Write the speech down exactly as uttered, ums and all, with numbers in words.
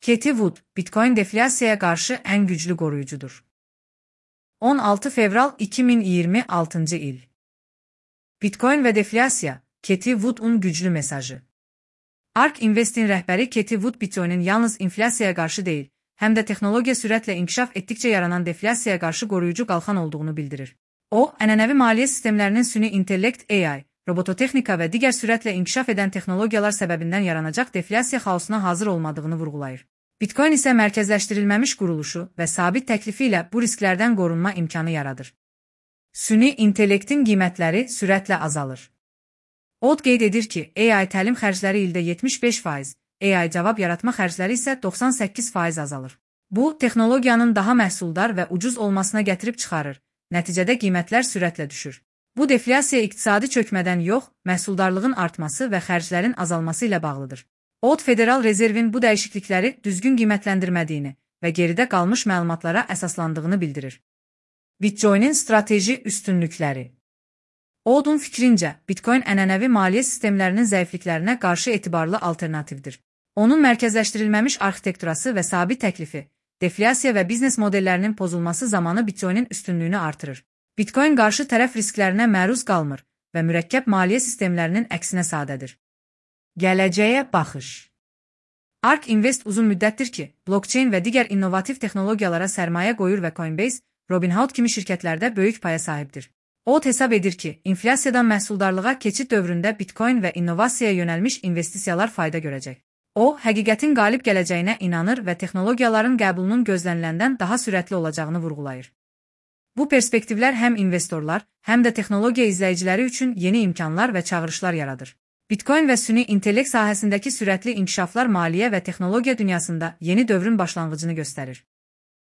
Cathie Wood, Bitcoin deflasiyaya qarşı ən güclü qoruyucudur. on altı fevral iki min iyirmi altıncı il. Bitcoin və deflasiya, Cathie Wood'un güclü mesajı. ARK Invest'in rəhbəri Cathie Wood Bitcoin'in yalnız inflasiyaya qarşı deyil, həm də texnologiya sürətlə inkişaf etdikcə yaranan deflasiyaya qarşı qoruyucu qalxan olduğunu bildirir. O, ənənəvi maliyyə sistemlərinin süni intellekt A I, robototexnika və digər sürətlə inkişaf edən texnologiyalar səbəbindən yaranacaq deflasiya xaosuna hazır olmadığını vurğulayır. Bitcoin isə mərkəzləşdirilməmiş quruluşu və sabit təklifi ilə bu risklərdən qorunma imkanı yaradır. Süni intellektin qiymətləri sürətlə azalır. O qeyd edir ki, A I təlim xərcləri ildə yetmiş beş faiz, A I cavab yaratma xərcləri isə doxsan səkkiz faiz azalır. Bu, texnologiyanın daha məhsuldar və ucuz olmasına gətirib çıxarır, nəticədə qiymətlər sürətlə düşür. Bu deflasiya iqtisadi çökmədən yox, məhsuldarlığın artması və xərclərin azalması ilə bağlıdır. O, Federal Rezervin bu dəyişiklikləri düzgün qiymətləndirmədiyini və geridə qalmış məlumatlara əsaslandığını bildirir. Bitcoin'in strateji üstünlükləri. Oldun fikrincə, Bitcoin ənənəvi maliyyə sistemlərinin zəifliklərinə qarşı etibarlı alternativdir. Onun mərkəzləşdirilməmiş arxitekturası və sabit təklifi, deflasiya və biznes modellərinin pozulması zamanı Bitcoin'in üstünlüyünü artırır. Bitcoin qarşı tərəf risklərinə məruz qalmır və mürəkkəb maliyyə sistemlərinin əksinə sadədir. Gələcəyə baxış. ARK Invest uzun müddətdir ki, blockchain və digər innovativ texnologiyalara sərmayə qoyur və Coinbase, Robinhood kimi şirkətlərdə böyük paya sahibdir. O hesab edir ki, inflasiyadan məhsuldarlığa keçid dövründə Bitcoin və innovasiyaya yönəlmiş investisiyalar fayda görəcək. O, həqiqətin qalib gələcəyinə inanır və texnologiyaların qəbulunun gözləniləndən daha sürətli olacağını vurğulayır. Bu perspektivlər həm investorlar, həm də texnologiya izləyiciləri üçün yeni imkanlar və çağırışlar yaradır. Bitcoin və süni intellekt sahəsindəki sürətli inkişaflar maliyyə və texnologiya dünyasında yeni dövrün başlanğıcını göstərir.